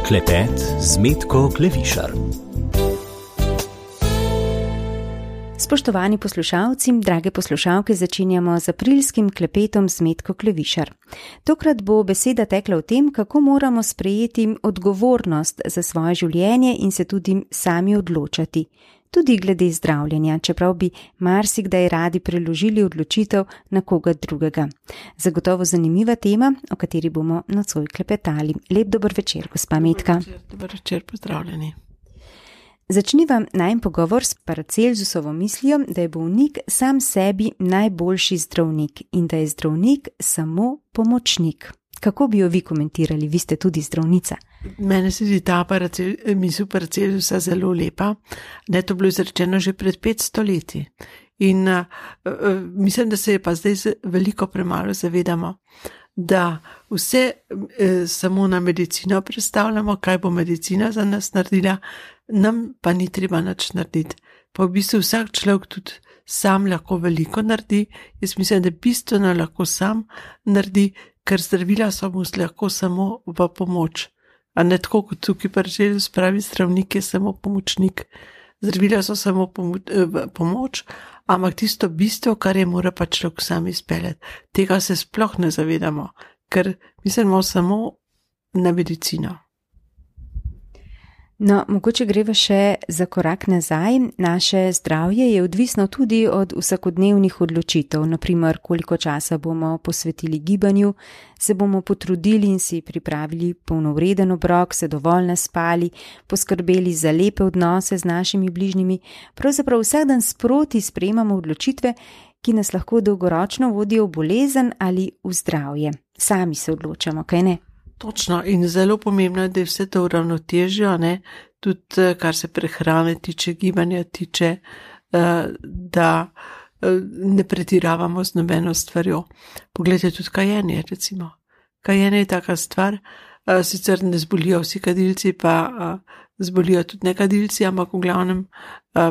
Klepet z Metko Klevišar. Spoštovani poslušalci, drage poslušalke, začenjamo z aprilskim klepetom z Metko Klevišar. Tokrat bo beseda tekla o tem, kako moramo sprejeti odgovornost za svoje življenje in se tudi sami odločati. Tudi glede zdravljenja, čeprav bi marsikdaj radi preložili odločitev na koga drugega. Zagotovo zanimiva tema, o kateri bomo nocoj klepetali. Lep dober večer, gospa Metka. Dober večer, pozdravljeni. Začniva najin pogovor s Paracelsusovo mislijo, da je bolnik sam sebi najboljši zdravnik in da je zdravnik samo pomočnik. Kako bi jo vi komentirali? Vi ste tudi zdravnica. Mene se zdi ta misel Paracelsusa zelo lepa. Ne, to bilo izrečeno že pred 500 leti. In mislim, da se je pa zdaj veliko premalo zavedamo, da vse samo na medicino predstavljamo, kaj bo medicina za nas naredila, nam pa ni treba nič narediti. Pa v bistvu vsak človek tudi sam lahko veliko naredi. Jaz mislim, da bistveno lahko sam naredi, ker zdravila so mu lahko samo v pomoč. A ne tako kot tukaj Paracelsus pravi, zdravnik je samo pomočnik. Zdravila so samo pomoč, ampak tisto bistvo, kar je mora pa človek sam izpeljati. Tega se sploh ne zavedamo, ker mislimo samo na medicino. No, mogoče greva še za korak nazaj. Naše zdravje je odvisno tudi od vsakodnevnih odločitev, naprimer koliko časa bomo posvetili gibanju, se bomo potrudili in si pripravili polnovreden obrok, se dovolj naspali, poskrbeli za lepe odnose z našimi bližnjimi. Pravzaprav vsak dan sproti sprejemamo odločitve, ki nas lahko dolgoročno vodijo v bolezen ali v zdravje. Sami se odločamo, kaj ne? Točno, in zelo pomembno je, da je vse to uravnotežijo, tudi kar se prehrane tiče, gibanja tiče, da ne pretiravamo z nobeno stvarjo. Poglejte tudi kajenje, recimo. Kajenje je taka stvar, sicer ne zbolijo vsi kadilci, pa zbolijo tudi nekadilci, ampak v glavnem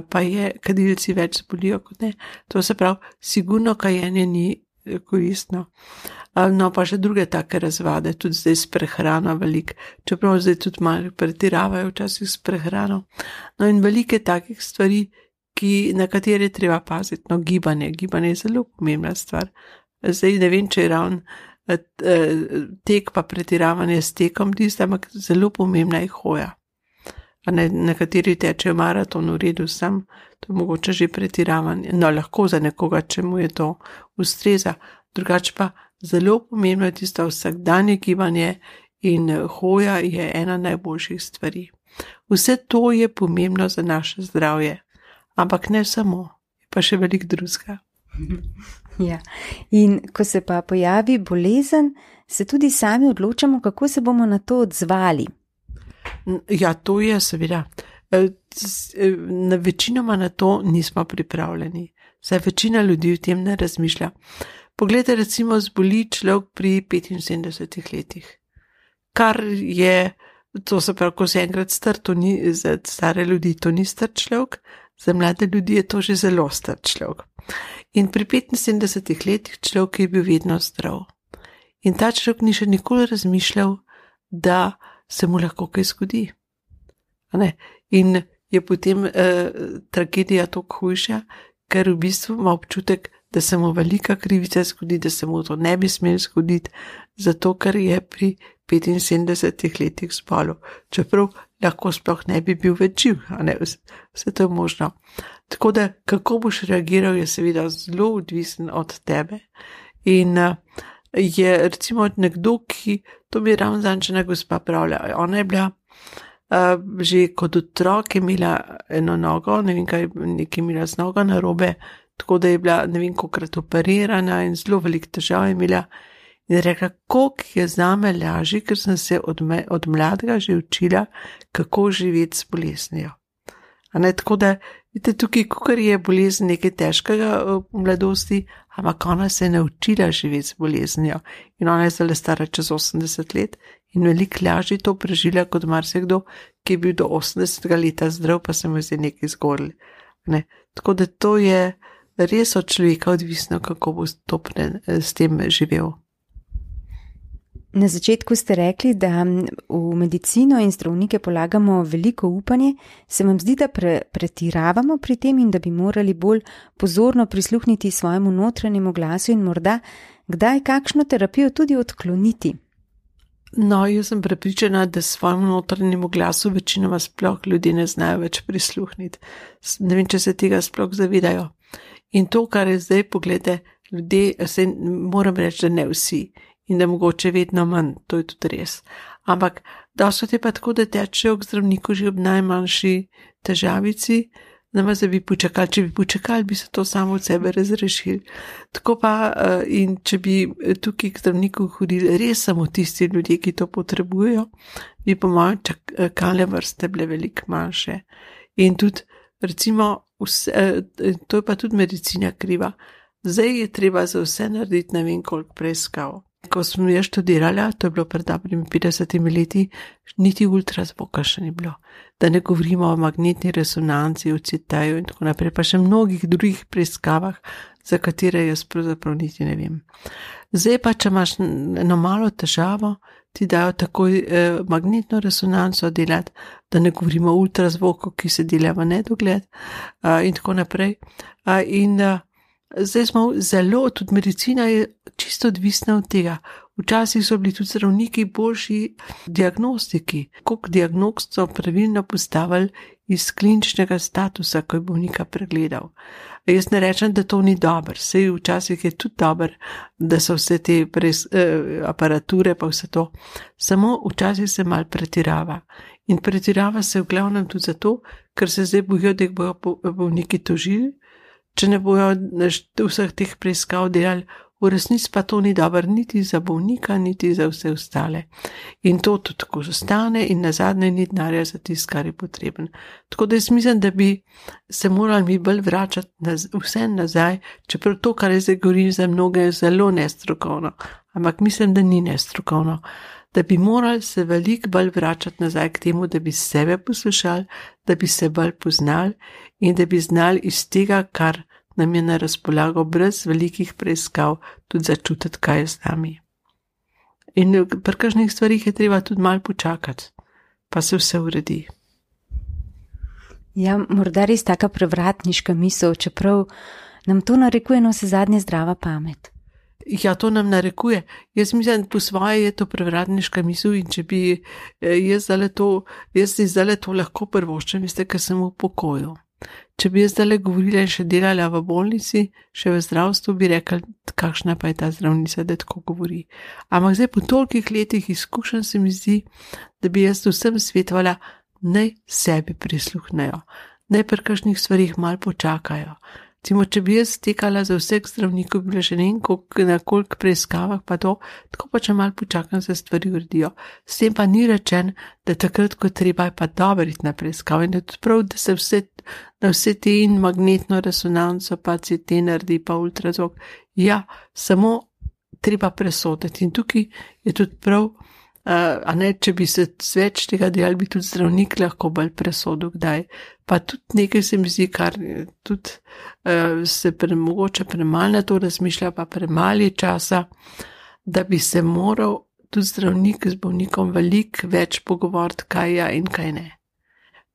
pa je kadilci več zbolijo kot ne. To se pravi, sigurno kajenje ni koristno. No, pa še druge take razvade, tudi zdaj s prehrano veliko, čeprav zdaj tudi malo pretiravajo včasih s prehrano. No, in velike takih stvari, na katere treba paziti. No, gibanje je zelo pomembna stvar. Zdaj ne vem, če je ravno tek pa pretiravanje s tekom tista, ampak zelo pomembna je hoja. Nekateri tečejo maraton v redu, sam to je mogoče že pretiravanje. No, lahko za nekoga, če mu je to ustreza. Drugače pa zelo pomembno je tisto vsakdanje gibanje in hoja je ena najboljših stvari. Vse to je pomembno za naše zdravje, ampak ne samo, je pa še veliko drugega. Ja. In ko se pa pojavi bolezen, se tudi sami odločamo, kako se bomo na to odzvali. Ja, to je seveda. Večinoma na to nismo pripravljeni. Saj večina ljudi v tem ne razmišlja. Poglejte, recimo, zboli človek pri 75 letih. Kar je, to se pravi, ko se enkrat star, to ni, za stare ljudi to ni star človek, za mlade ljudi je to že zelo star človek. In pri 75 letih človek je bil vedno zdrav. In ta človek ni še nikoli razmišljal, da se mu lahko kaj zgodi. In je potem tragedija toliko hujša, ker v bistvu ima občutek, da se mu velika krivica zgodi, da se mu to ne bi smel zgoditi, zato ker je pri 75 letih zbolel. Čeprav lahko sploh ne bi bil več živ, vse to je možno. Tako da, kako boš reagiral, je seveda zelo odvisen od tebe. In je recimo nekdo, ki, to mi je ravno zančena gospa pravlja, ona je bila že kot otrok imela eno nogo, ne vem kaj, nekaj imela z nogo narobe, tako da je bila ne vem kolikrat operirana in zelo veliko težav je imela. In je rekla, koliko je zame lažje, ker sem se od mladega že učila, kako živeti s boleznijo. Tako da, vidite, tukaj, kakor je bolezen nekaj težkega v mladosti, ampak ona se je naučila živeti s boleznijo. In ona je zdaj stara čez 80 let in veliko lažje to prežila kot marsikdo, ki je bil do 80 leta zdrav, pa se mu je zdaj nekaj zgorili. Tako da to je res od človeka odvisno, kako bo s tem živel. Na začetku ste rekli, da v medicino in zdravnike polagamo veliko upanje. Se vam zdi, da pretiravamo pri tem in da bi morali bolj pozorno prisluhniti svojemu notranjemu glasu in morda kdaj kakšno terapijo tudi odkloniti? No, jaz sem prepričana, da svojemu notranjemu glasu večinoma sploh ljudje ne znajo več prisluhniti. Ne vem, če se tega sploh zavedajo. In to, kar je zdaj, pogledajte, ljudje, moram reči, da ne vsi. In da mogoče vedno manj, to je tudi res. Ampak dosti je pa tako, da tečejo k zdravniku že ob najmanjši težavici, namesto da bi počakali. Če bi počakali, bi se to samo od sebe razrešili. Tako pa, in če bi tukaj k zdravniku hodili res samo tisti ljudje, ki to potrebujejo, bi po mojem čakalne vrste bile veliko manjše. In tudi, recimo, to je pa tudi medicina kriva. Zdaj je treba za vse narediti ne vem koliko preiskav. Ko sem jaz študirala, to je bilo pred dobrimi 50 leti, niti ultrazvoka še ni bilo. Da ne govorimo o magnetni resonanci, o CT-ju in tako naprej, pa še mnogih drugih preiskavah, za katere jaz pravzaprav niti ne vem. Zdaj pa, če imaš eno malo težavo, ti dajo takoj magnetno resonanco delati, da ne govorimo o ultrazvoku, ki se dela v nedogled in tako naprej. Zdaj smo zelo, tudi medicina je čisto odvisna od tega. Včasih so bili tudi zdravniki boljši diagnostiki, koliko diagnoz so pravilno postavili iz kliničnega statusa, ko je bolnika pregledal. Jaz ne rečem, da to ni dobro, saj včasih je tudi dobro, da so vse te aparature pa vse to, samo včasih se mal pretirava. In pretirava se v glavnem tudi zato, ker se zdaj bojijo, da jih bojo bolniki tožili, če ne bojo vseh teh preiskav delali. V resnici pa to ni dobro niti za bolnika, niti za vse ostale. In to tudi tako zostane in nazadnje ni denarja za tisto, kar je potreben. Tako da jaz mislim, da bi se morali mi bolj vračati vse nazaj, čeprav to, kar jaz zdaj govorim, za mnoge je zelo nestrokovno, ampak mislim, da ni nestrokovno. Da bi morali se veliko bolj vračati nazaj k temu, da bi sebe poslušali, da bi se bolj poznali in da bi znali iz tega, kar nam je na razpolago brez velikih preiskav, tudi začutiti, kaj je z nami. In pri kakšnih stvarih je treba tudi malo počakati, pa se vse uredi. Ja, morda res taka prevratniška misel, čeprav nam to narekuje na vse zadnje zdrava pamet. Ja, to nam narekuje. Jaz mislim, po svoje je to prevratniška misel in če bi jaz zdaj to lahko prvoščem, veste, ker sem v pokoju. Če bi jaz zdaj govorila in še delala v bolnici, še v zdravstvu, bi rekla, kakšna pa je ta zdravnica, da tako govori. Ampak zdaj po tolikih letih izkušenj se mi zdi, da bi jaz vsem svetovala, naj sebi prisluhnejo, naj pri kakšnih stvarih malo počakajo. Recimo, če bi jaz tekala za vseh zdravnikov, bi bila že na koliko preiskavah pa to, tako pa če malo počakam, se stvari uredijo. S tem pa ni rečen, da takrat, ko treba, je pa dobro iti na preiskavo in da tudi prav, da se vse te in magnetno resonanco pa CT naredi pa ultrazvok. Ja, samo treba presoditi in tukaj je tudi prav, a ne, če bi se več tega delali, bi tudi zdravnik lahko bolj presodil kdaj. Pa tudi nekaj se mi zdi, kar tudi se mogoče premalo na to razmišlja, pa premalo je časa, da bi se moral tudi zdravnik z bolnikom veliko več pogovoriti, kaj je in kaj ne.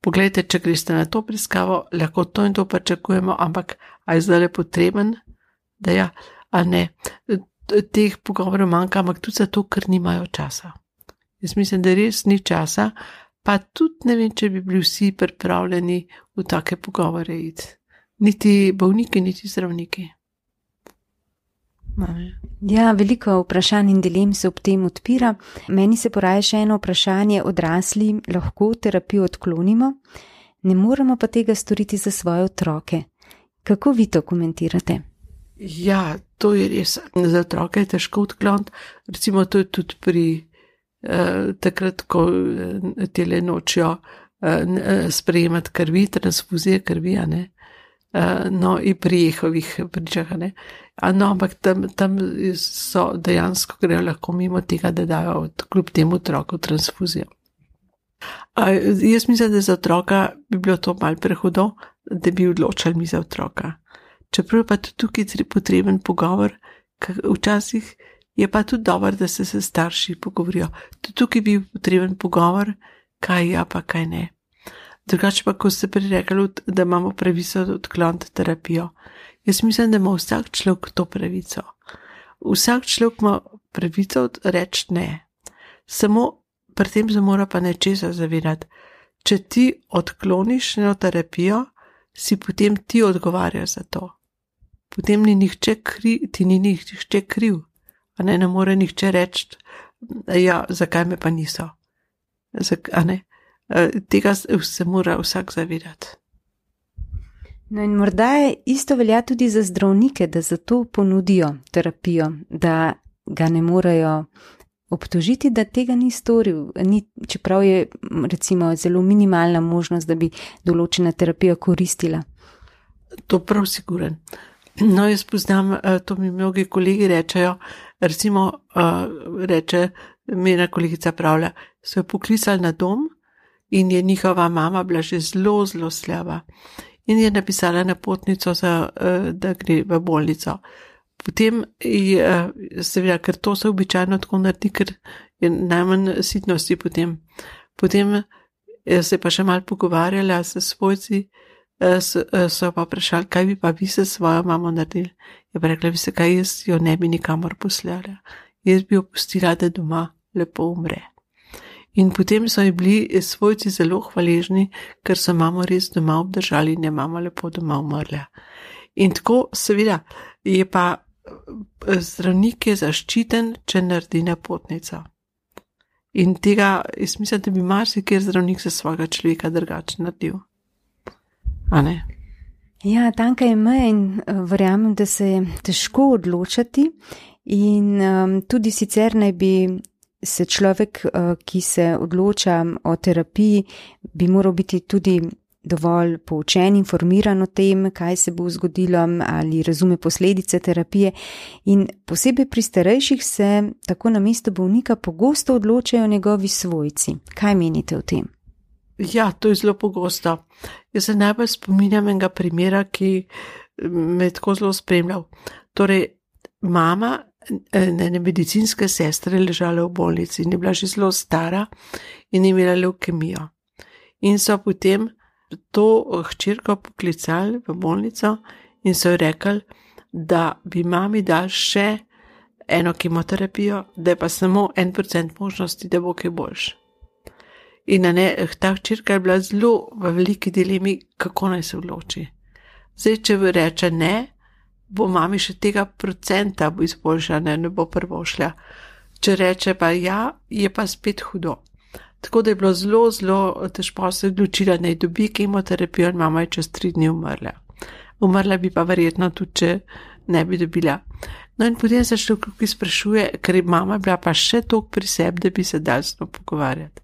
Poglejte, če greste na to preiskavo, lahko to in to pričakujemo, ampak a je zdaj potreben, da ja, a ne. Teh pogovorov manjka, ampak tudi zato, ker nimajo časa. Jaz mislim, da res ni časa, pa tudi ne vem, če bi bili vsi pripravljeni v take pogovore iti. Niti bolniki, niti zdravniki. Ja, veliko vprašanj in dilem se ob tem odpira. Meni se poraja še eno vprašanje, odrasli lahko terapijo odklonimo, ne moremo pa tega storiti za svoje otroke. Kako vi to komentirate? Ja, to je res. Za otroke je težko odkloniti. Recimo to je tudi pri takrat, ko tele nočijo sprejemati krvi, transfuzije krvi, ne? No, in pri jehovih pričah, ne? No, ampak tam so dejansko grejo lahko mimo tega, da dajo kljub temu otroku transfuzijo. Jaz mislim, da za otroka bi bilo to malo prehudo, da bi odločali mi za otroka. Čeprav pa tudi tukaj je potreben pogovor, včasih Je pa tudi dobro, da se starši pogovorijo. Tudi tukaj bi potreben pogovor, kaj ja pa kaj ne. Drugače pa, ko ste prej rekli, da imamo pravico odkloniti terapijo. Jaz mislim, da ima vsak človek to pravico. Vsak človek ima pravico reči ne. Samo pri tem se mora pa nečesa zavedati. Če ti odkloniš eno terapijo, si potem ti odgovarjaš za to. Potem ti ni nihče kriv. A ne more nihče reči, ja, zakaj me pa niso. Tega se mora vsak zavedati. No in morda je isto velja tudi za zdravnike, da zato ponudijo terapijo, da ga ne morejo obtožiti, da tega ni storil, čeprav je recimo zelo minimalna možnost, da bi določena terapija koristila. To prav siguren. No, jaz poznam, to mi mnogi kolegi rečejo, recimo reče, mi ena kolegica pravlja, so jo poklicali na dom in je njihova mama bila že zelo, zelo slaba in je napisala napotnico, da gre v bolnico. Potem je, seveda, ker to se običajno tako naredi, ker je najmanj sitnosti potem. Potem se pa še malo pogovarjala s svojci, so pa vprašali, kaj bi pa vi se svojo mamo naredili. Je pa rekla, veste kaj, jaz jo ne bi nikamor poslala. Jaz bi jo pustila, da doma lepo umre. In potem so ji bili svojci zelo hvaležni, ker so mamo res doma obdržali in je mama lepo doma umrla. In tako, seveda, je pa zdravnik je zaščiten, če naredi napotnico. In tega, jaz mislim, da bi marsikjer zdravnik za svojega človeka drugače naredil. A ne? Ja, tanka je meja in verjamem, da se je težko odločati in tudi sicer naj bi se človek, ki se odloča o terapiji, bi moral biti tudi dovolj poučen, informiran o tem, kaj se bo zgodilo ali razume posledice terapije. In posebej pri starejših se tako na mesto bolnika pogosto odločajo njegovi svojci. Kaj menite o tem? Ja, to je zelo pogosto. Jaz se najbolj spominjam enega primera, ki me je tako zelo spremljal. Torej, mama ene medicinske sestre ležala v bolnici in je bila že zelo stara in je imela levkemijo. In so potem to hčerko poklicali v bolnico in so ji rekli, da bi mami dali še eno kemoterapijo, da je pa samo 1% možnosti, da bo kaj boljš. In ta hčerka je bila zelo v veliki dilemi, kako naj se odloči. Zdaj, če reče ne, bo mami še tega procenta bo izboljšana, ne bo prvo šla. Če reče pa ja, je pa spet hudo. Tako da je bilo zelo, zelo težko se odločila, naj dobi kemoterapijo in mama je čez 3 dni umrla. Umrla bi pa verjetno tudi, če ne bi dobila. No in potem se človek sprašuje, ker je mama bila pa še toliko pri sebi, da bi se dal s to pogovarjati.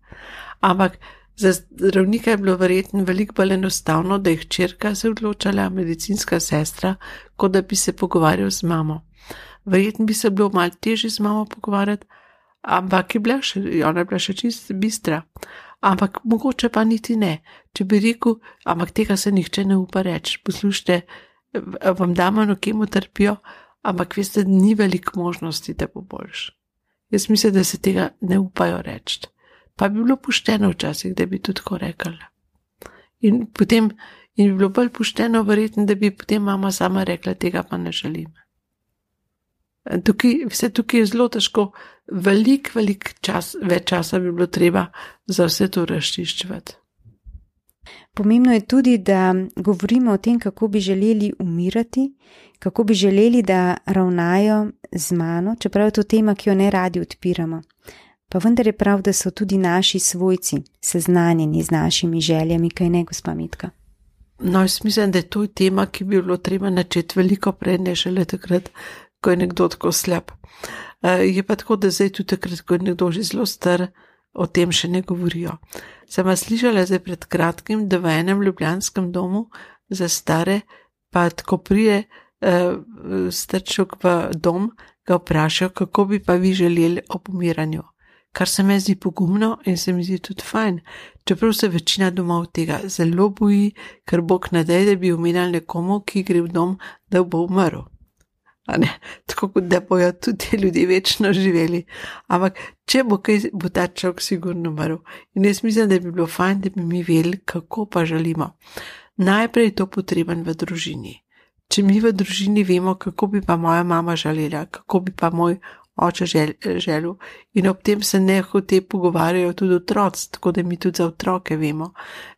Ampak za zdravnika je bilo verjetno veliko bolj enostavno, da je hčerka se odločala, medicinska sestra, kot da bi se pogovarjal z mamo. Verjetno bi se bilo malo težje z mamo pogovarjati, ampak ona je bila še čist bistra. Ampak mogoče pa niti ne. Če bi rekel, ampak tega se nihče ne upa reči. Poslušajte, vam damo eno kemoterapijo, ampak veste, ni veliko možnosti, da bo boljš. Jaz mislim, da se tega ne upajo reči. Pa bi bilo pošteno včasih, da bi tudi tako rekli. In bi bilo bolj pošteno verjetno, da bi potem mama sama rekla, tega pa ne želim. Tukaj je zelo težko, več časa bi bilo treba za vse to razčiščevati. Pomembno je tudi, da govorimo o tem, kako bi želeli umirati, kako bi želeli, da ravnajo z mano, čeprav je to tema, ki jo ne radi odpiramo. Pa vendar je prav, da so tudi naši svojci seznanjeni z našimi željami, kaj ne, gospa Metka? No, jaz mislim, da je to tema, ki bi bilo treba načeti veliko prej, ne šele takrat, ko je nekdo tako slab. Je pa tako, da zdaj tudi takrat, ko je nekdo že zelo star, o tem še ne govorijo. Sem slišala zdaj pred kratkim, da v enem ljubljanskem domu za stare, pa tako prije starček v dom, ga vprašajo, kako bi pa vi želeli ob umiranju. Kar se mi zdi pogumno in se mi zdi tudi fajn, čeprav se večina domov tega zelo boji, ker Bog ne daj, da bi umirali nekomu, ki gre v dom, da bo umrl. tako kot da bojo tudi ti ljudje večno živeli. Ampak, če bo kaj, bo ta človek sigurno umrl. In jaz mislim, da bi bilo fajn, da bi mi vedeli, kako pa želimo. Najprej je to potreben v družini. Če mi v družini vemo, kako bi pa moja mama želela, kako bi pa moj oče želel, in ob tem se nehote pogovarjajo tudi otroci, tako da mi tudi za otroke vemo,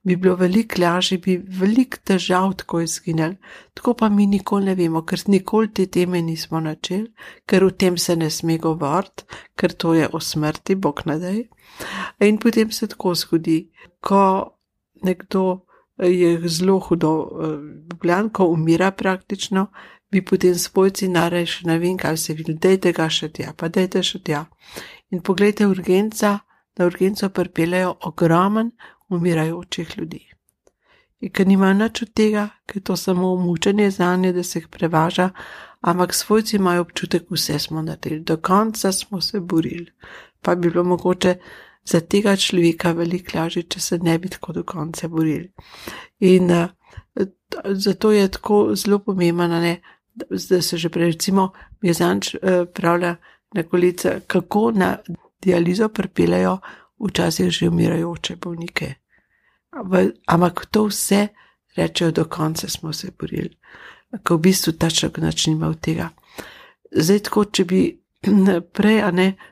bi bilo veliko lažje, bi veliko težav tako izginili. Tako pa mi nikoli ne vemo, ker nikoli te teme nismo načeli, ker v tem se ne sme govoriti, ker to je o smrti, Bog ne daj. In potem se tako zgodi, ko nekdo je zelo hudo boljan, ko umira praktično, bi potem svojci narej še ne vem, kaj se vidi, dajte ga še tja, pa dajte še tja. In poglejte na urgenco pripeljejo ogromen umirajočih ljudi. In ker nimajo nič od tega, ker to samo mučenje zanje, da se jih prevaža, ampak svojci imajo občutek, vse smo naredili, do konca smo se borili. Pa bi bilo mogoče za tega človeka veliko lažje, če se ne bi tako do konca borili. In zato je tako zelo pomembno, da se že prej, recimo, Jezanč pravlja na kolica, kako na dializo pripeljajo včasih že umirajoče bolnike. Ampak to vse rečejo, do konca smo se borili, ko v bistvu ta človek nič nima od tega. Zdaj tako, če bi prej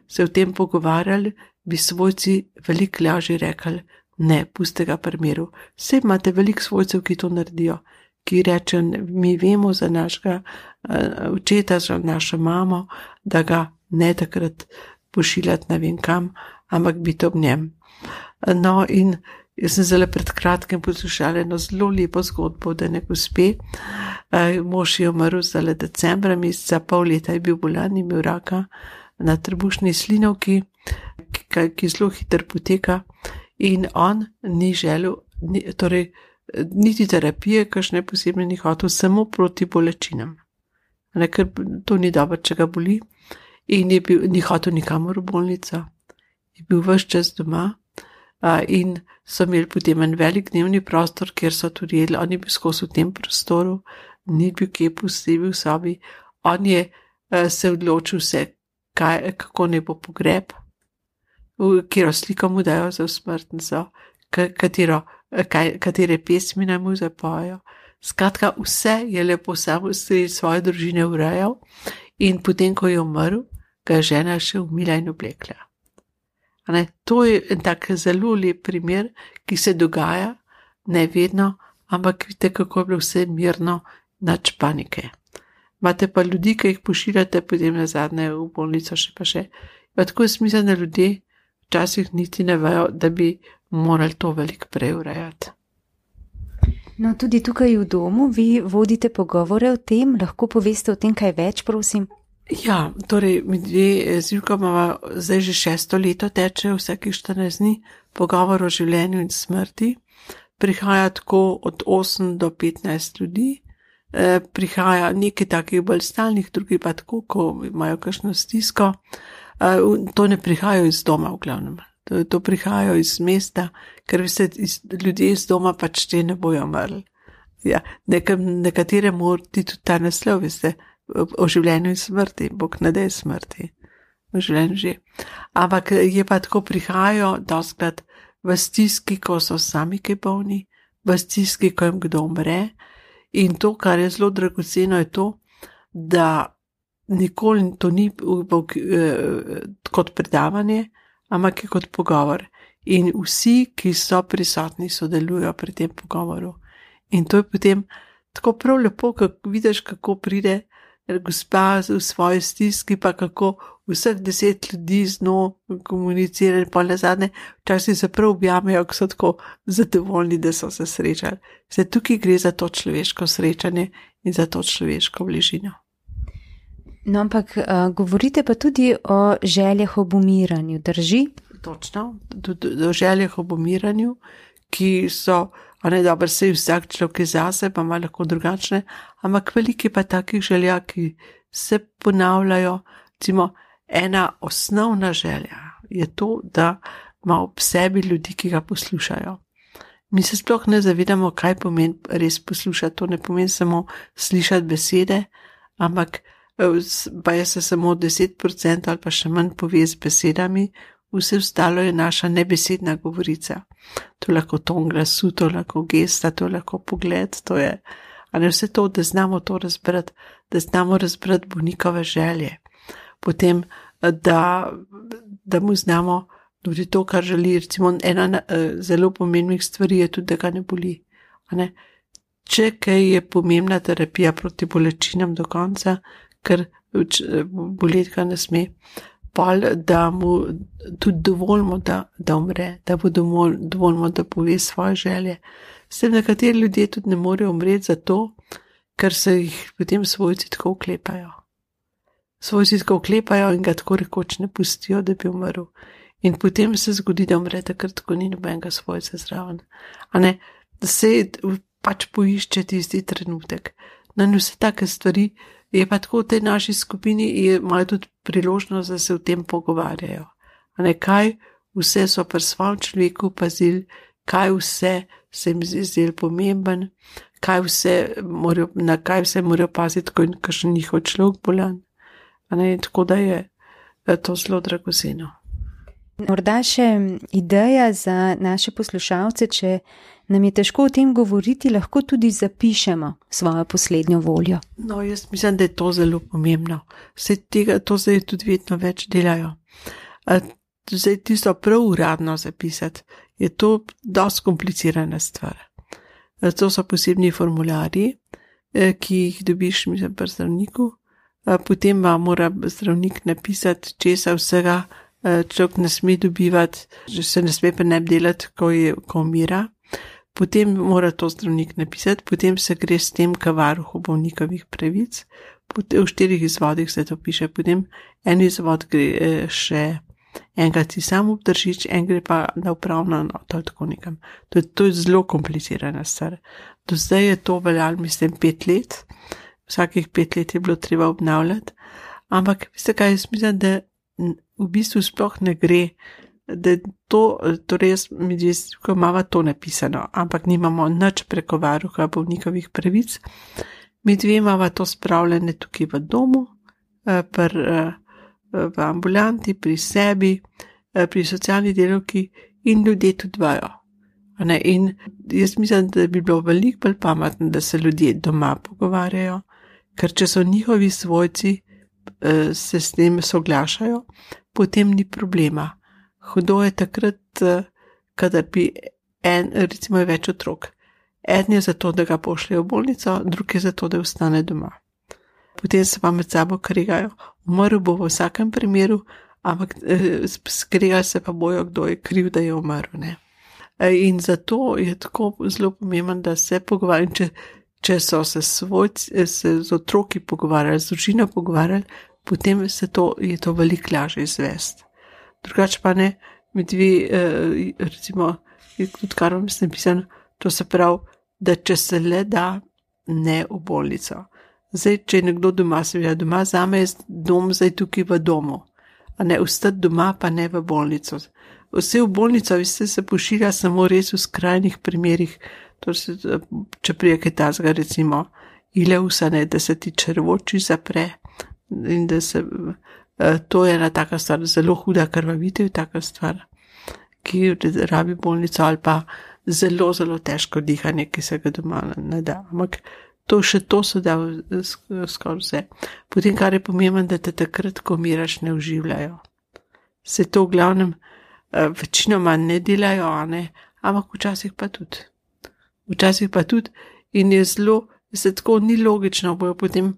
se o tem pogovarjali, bi svojci veliko lažje rekli, ne, pusti ga pri miru. Saj imate veliko svojcev, ki to naredijo, ki rečejo, mi vemo za našega očeta, za našo mamo, da ga ne takrat pošiljati ne vem kam, ampak biti ob njem. No, in jaz sem zelo pred kratkim poslušala eno zelo lepo zgodbo, da ne gospe, mož je umrl zdaj decembra meseca, pol leta je bil bolan, imel raka na trebušni slinavki, ki zelo hitro poteka, in on ni želel, torej niti terapije, kakšne posebne ni hotel, samo proti bolečinam. Ker to ni dobro, če ga boli, in ni hotel nikamor v bolnico. Je bil ves čas doma, in so imeli potem en velik dnevni prostor, kjer so tudi jedli, on je bil skozi v tem prostoru, ni bil kje pusti, bil v sobi, on je se odločil vse, kako ne bo pogreb, katero sliko mu dajo za smrtnico, katere pesmi naj mu zapojo. Skratka, vse je lepo samo sredi svoje družine urejal, in potem, ko je umrl, ga je žena še umila in oblekla. To je en tak zelo lep primer, ki se dogaja, ne vedno, ampak vidite, kako je bilo vse mirno, nič panike. Imate pa ljudi, ki jih pošiljate potem nazadnje v bolnico še pa še. Pa tako je smisel, da ljudje včasih niti ne vejo, da bi morali to veliko prej urejati. No, tudi tukaj v domu vi vodite pogovore o tem, lahko poveste o tem kaj več, prosim? Ja, torej, mi dve z Julko imamo zdaj že 6. leto teče vsakih 14 dni pogovor o življenju in smrti. Prihaja tako od 8 do 15 ljudi, prihaja nekaj takih bolj stalnih, drugi pa tako, ko imajo kakšno stisko. To ne prihajajo iz doma v glavnem, to prihajajo iz mesta, ker veste, ljudje iz doma pač te ne bojo umrli. Ja, nekatere morati tudi ta naslov, veste, o življenju in smrti, Bog ne daj smrti, v življenju že. Ampak je pa tako, prihajajo dostikrat v stiski, ko so sami kaj bolni, v stiski, ko jim kdo umre, in to, kar je zelo dragoceno, je to, da nikoli to ni kot predavanje, ampak je kot pogovor. In vsi, ki so prisotni, sodelujo pri tem pogovoru. In to je potem tako prav lepo, kako vidiš, kako pride gospa v svoji stiski, pa kako vseh 10 ljudi z njo komunicira in pol nazadnje, včasih se prav objamejo, ko so tako zadovoljni, da so se srečali. Zdaj tukaj gre za to človeško srečanje in za to človeško bližino. No, ampak govorite pa tudi o željah ob umiranju, drži? Točno, o željah ob umiranju, ki so, dobro, sej vsak človek je zase, pa ima lahko drugačne, ampak veliki pa takih želja, ki se ponavljajo. Recimo, ena osnovna želja je to, da ima ob sebi ljudi, ki ga poslušajo. Mi se sploh ne zavedamo, kaj pomeni res poslušati. To ne pomeni samo slišati besede, ampak pa je se samo 10% ali pa še manj pove z besedami, vse ostalo je naša nebesedna govorica. To je lahko ton glasu, to je lahko gesta, to je lahko pogled, to je, a ne vse to, da znamo to razbrati, da znamo razbrati bolnikove želje. Potem, da mu znamo tudi to, kar želi. Recimo, ena zelo pomembnih stvari je tudi, da ga ne boli. A ne? Če kaj je pomembna terapija proti bolečinam do konca, ker boleti ga ne sme, da mu tudi dovolimo, da umre, da bo dovolimo, da pove svoje želje. S tem nekateri ljudje tudi ne morejo umreti zato, ker se jih potem svojci tako oklepajo. Svojci tako oklepajo in ga tako rekoč ne pustijo, da bi umrl. In potem se zgodi, da umre takrat, ko ni nobenega svojca zraven. A ne, da se pač poišče tisti trenutek. No in vse take stvari je pa tako v tej naši skupini, imajo tudi priložnost, da se o tem pogovarjajo. A ne, kaj vse so pri svojem človeku pazili, kaj vse se jim zdelo pomemben, na kaj vse morajo paziti, ko je kakšen njihov človek bolan. A ne, tako da je to zelo dragoceno. Morda še ideja za naše poslušalce, če nam je težko o tem govoriti, lahko tudi zapišemo svojo poslednjo voljo. No, jaz mislim, da je to zelo pomembno. To zdaj tudi vedno več delajo. Zdaj tisto prav uradno zapisati, je to dosti komplicirana stvar. To so posebni formularji, ki jih dobiš, mislim, pri zdravniku. Potem vam mora zdravnik napisati, česa vsega človek ne sme dobivati, že se ne sme pa ne delati, ko umira. Potem mora to zdravnik napisati, potem se gre s tem k varuhu bolnikovih pravic. V 4 izvodih se to piše, potem en izvod gre še enkrat si sam obdržič, en gre pa na upravno enoto ali tako nekam. To je zelo komplicirana stvar. Do zdaj je to veljalo, mislim, 5 let. Vsakih 5 let je bilo treba obnavljati. Ampak, veste kaj, jaz mislim, da v bistvu sploh ne gre, da torej mi imamo to napisano, ampak nimamo nič preko varuha bolnikovih pravic. Mi dve imamo to spravljene tukaj v domu, v ambulanti, pri sebi, pri socialni delavki in ljudje tudi vajo. In jaz mislim, da bi bilo veliko bolj pametno, da se ljudje doma pogovarjajo, ker če so njihovi svojci, se s tem soglašajo, potem ni problema. Hudo je takrat, kadar bi recimo je več otrok. En je zato, da ga pošljejo v bolnico, drug je zato, da ostane doma. Potem se pa med sabo kregajo. Umrl bo v vsakem primeru, ampak skregali se pa bojo, kdo je kriv, da je umrl. Ne? In zato je tako zelo pomembno, da se pogovarjajo. Če so se z otroki pogovarjali, z družino pogovarjali, potem je to veliko lažje izvesti. Drugače pa ne, mi dve, recimo, tudi kar vam je napisano, to se pravi, da če se le da, ne v bolnico. Zdaj, če je nekdo doma, seveda doma, zame je dom zdaj tukaj v domu, a ne ostati doma, pa ne v bolnico. Vse v bolnico, veste, se pošilja samo res v skrajnih primerih. Če prije kaj tazga, recimo, ileusa, ne, da se ti črvoči zapre in da se, to je ena taka stvar, zelo huda krvavitev, taka stvar, ki rabi bolnico ali pa zelo, zelo težko dihanje, ki se ga doma ne da. Ampak to se da skoraj vse. Potem, kar je pomembno, da te takrat, ko umiraš, ne oživljajo. Se to v glavnem večinoma ne delajo, ne, ampak včasih pa tudi. In je zelo, se tako ni logično, bojo potem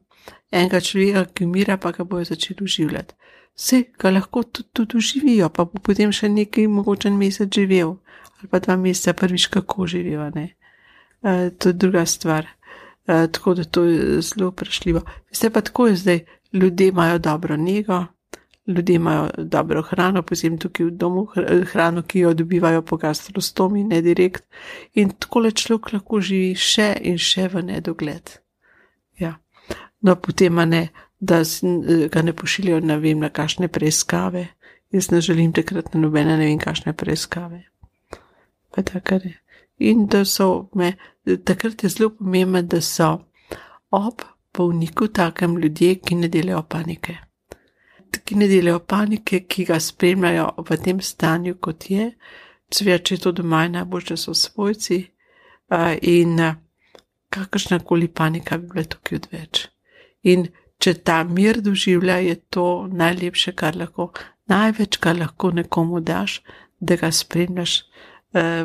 enega človeka, ki umira, pa ga bojo začeli oživljati. Vse ga lahko tudi oživijo, pa bo potem še nekaj mogoče mesec živel, ali pa 2 meseca prvič kako živijo, ne. To je druga stvar. Tako da to je zelo vprašljivo. Veste pa tako je zdaj, ljudje imajo dobro nego, ljudje imajo dobro hrano, posebno tukaj v domu, hrano, ki jo dobivajo po gastrostomi, ne direkt. In takole človek lahko živi še in še v nedogled. Ja. No, potem ne, da ga ne pošiljajo, ne vem, na kakšne preiskave. Jaz ne želim takrat na nobene, ne vem, kakšne preiskave. Pa tako je. In da takrat je zelo pomembno, da so ob bolniku, takem ljudje, ki ne delajo panike. Ki ne delajo panike, ki ga spremljajo v tem stanju, kot je, seveda, če je to doma, najbolj, da so svojci, in kakršnakoli panika bi bila tukaj odveč. In če ta mir doživlja, je to najlepše, največ, kar lahko nekomu daš, da ga spremljaš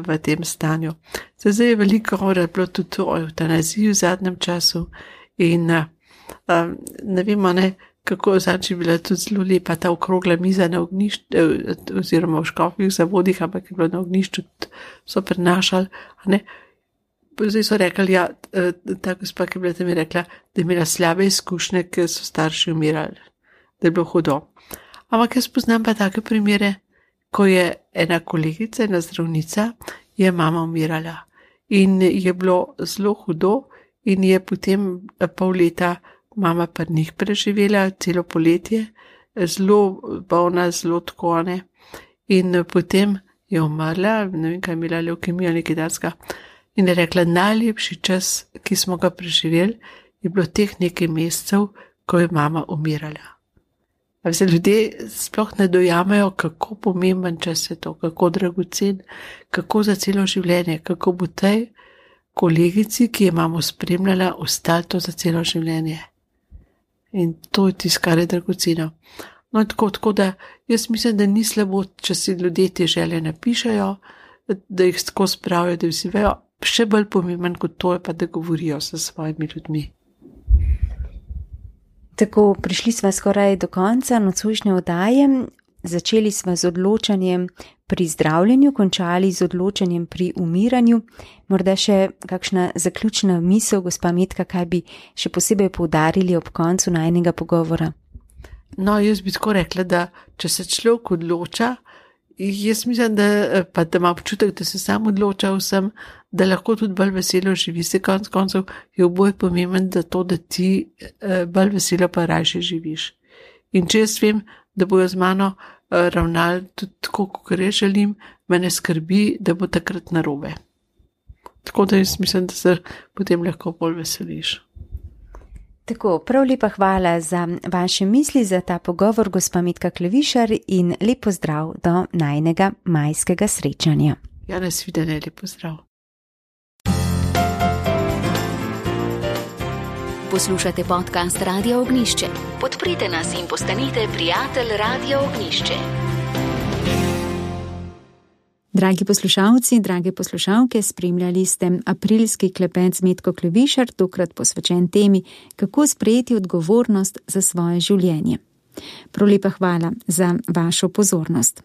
v tem stanju. Zdaj je veliko govora bilo tudi o evtanaziji v zadnjem času in ne vemo, kako je bila tudi zelo lepa ta okrogla miza na ognjišču, oziroma v Škofjih zavodih, ampak je bilo na ognjišču, so prenašali, Zdaj so rekli, ta gospa, ki je bila tam, je rekla, da je imela slabe izkušnje, ker so starši umirali, da je bilo hudo. Ampak jaz poznam pa take primere, ko je ena kolegica, ena zdravnica, je mama umirala in je bilo zelo hudo in je potem pol leta mama pri njih preživela, celo poletje, zelo bolna, zelo tkone in potem je umrla, ne vem, kaj je imela levkemijo, nekaj takega. In je rekla, najlepši čas, ki smo ga preživeli, je bilo teh nekaj mesecev, ko je mama umirala. Se ljudje sploh ne dojamejo, kako pomemben čas je to, kako dragocen, kako za celo življenje, kako bo tej kolegici, ki je mamo spremljala, ostalo to za celo življenje. In to je tisto, kar je dragoceno. No, tako da jaz mislim, da ni slabo, če si ljudje te želje napišajo, da jih tako spravijo, da vsi vejo. Še bolj pomemben kot to je pa, da govorijo s svojimi ljudmi. Tako, prišli smo skoraj do konca nocojšnje oddaje. Začeli smo z odločanjem pri zdravljenju, končali z odločanjem pri umiranju. Morda še kakšna zaključna misel, gospa Metka, kaj bi še posebej poudarili ob koncu najinega pogovora? No, jaz bi tako rekla, da če se človek odloča, jaz mislim, da ima občutek, da se sam odloča vsem, da lahko tudi bolj veselo živi. Se konc koncev je oboje pomemben, da ti bolj veselo pa rajše živiš. In če jaz vem, da bojo z mano ravnali tudi tako, kot jaz želim, mene skrbi, da bo takrat narobe. Tako da jaz mislim, da se potem lahko bolj veseliš. Tako, prav lepa hvala za vaše misli, za ta pogovor, gospa Metka Klevišar, in lep pozdrav do najinega majskega srečanja. Ja, nasvidenje, lep pozdrav. Poslušate podcast Radio Ognjišče. Podprite nas in postanite prijatelj Radio Ognjišče. Dragi poslušalci, drage poslušalke, spremljali ste aprilski klepet z Metko Klevišar, tokrat posvečen temi, kako sprejeti odgovornost za svoje življenje. Prav lepa hvala za vašo pozornost.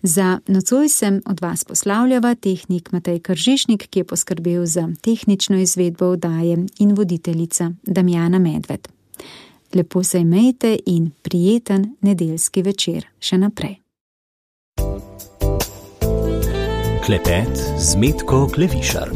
Za nocoj sem od vas poslavljava tehnik Matej Kržišnik, ki je poskrbel za tehnično izvedbo oddaje, in voditeljica Damjana Medved. Lepo se imejte in prijeten nedeljski večer še naprej. Klepet z Metko Klevišar.